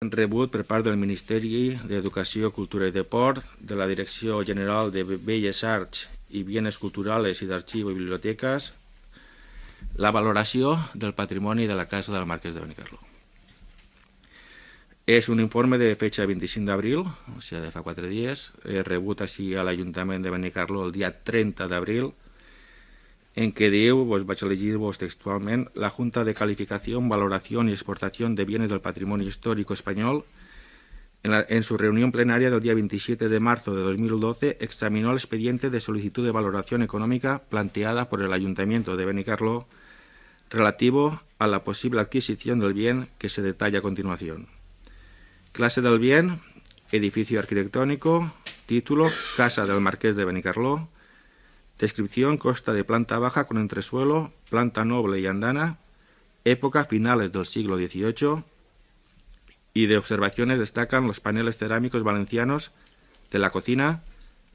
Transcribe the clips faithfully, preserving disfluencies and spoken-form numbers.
rebut per part del Ministeri d'Educació, Cultura i Deport, de la Direcció General de Belles Arts i Bienes Culturales i d'Arxiu i Biblioteques, la valoració del patrimoni de la Casa del Marquès de Benicarló. És un informe de fecha vint-i-cinc d'abril, o sigui, de fa quatre dies, he rebut així a l'Ajuntament de Benicarló el dia trenta d'abril, en que diu, pues vaig a llegir-vos textualment, la Junta de Calificación, Valoración y Exportación de Bienes del Patrimonio Histórico Español, en, la, en su reunión plenaria del día veintisiete de marzo de dos mil doce, examinó el expediente de solicitud de valoración económica planteada por el Ayuntamiento de Benicarló relativo a la posible adquisición del bien que se detalla a continuación. Clase del bien, edificio arquitectónico, título, Casa del Marqués de Benicarló. Descripción, consta de planta baja con entresuelo, planta noble y andana, época finales del siglo dieciocho, y de observaciones destacan los paneles cerámicos valencianos de la cocina,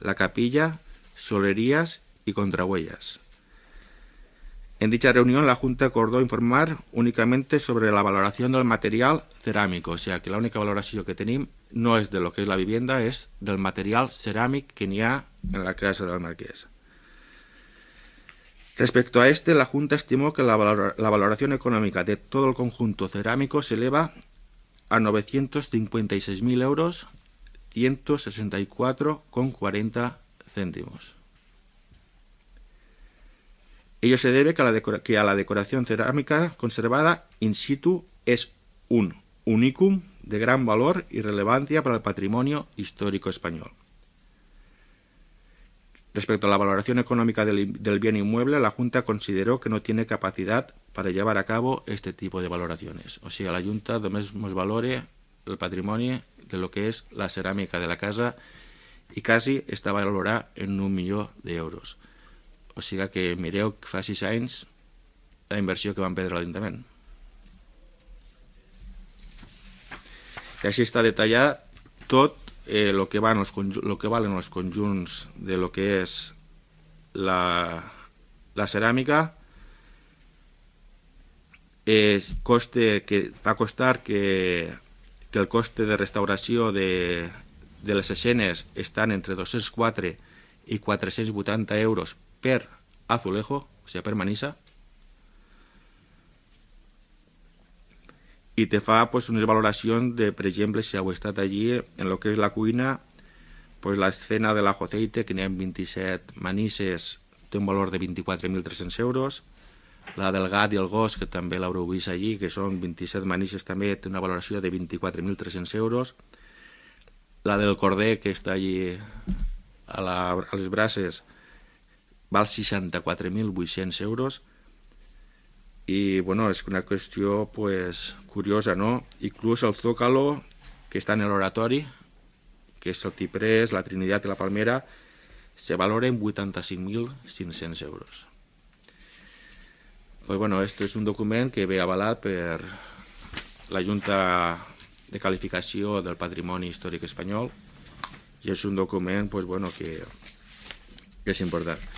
la capilla, solerías y contrahuellas. En dicha reunión la Junta acordó informar únicamente sobre la valoración del material cerámico, o sea que la única valoración que tenim no és de lo que és la vivienda, és del material ceràmic que n'hi ha en la casa del Marqués. Respecto a este, la Junta estimó que la, valor la valoración económica de todo el conjunto cerámico se eleva a novecientos cincuenta y seis mil euros, ciento sesenta y cuatro con cuarenta céntimos. Ello se debe que a, la que a la decoración cerámica conservada in situ es un unicum de gran valor y relevancia para el patrimonio histórico español. Respecto a la valoración económica del, del bien inmueble, la Junta consideró que no tiene capacidad para llevar a cabo este tipo de valoraciones. O sea, la Junta només nos valore el patrimoni de lo que és la ceràmica de la casa i quasi està valorada en un milió d'euros. O sigui que mireu que fa sis anys la inversió que van perdre l'Ajuntament. I així està detallat tot Eh, lo, que van los, lo que valen los conjunts de lo que és la, la ceràmica, es coste que va costar que, que el coste de restauració de, de les escenes estan entre dos-cents quatre i quatre-cents vuitanta euros per azulejo, o sigui, per manissa, y te fa pues unes valoracions de, per exemple, si heu estat allí en lo que és la cuina, pues la escena de l'ajo aceite, que n'hi ha vint-i-set manisses, té un valor de vint-i-quatre mil tres-cents euros, la del gat i el gos, que també l'haureu vist allí, que són vint-i-set manisses, també té una valoració de vint-i-quatre mil tres-cents euros, la del corder, que està allí a, la, a les braces, val seixanta-quatre mil vuit-cents euros. Y bueno, es una cuestión pues curiosa, ¿no? Incluso el zócalo que está en el oratorio, que es el ciprés, la Trinidad y la palmera, se valora en vuitanta-cinc mil cinc-cents euros. Pues bueno, esto es un document que ve avalat per la Junta de Calificació del Patrimoni Històric Espanyol i és un document pues bueno que, que és important.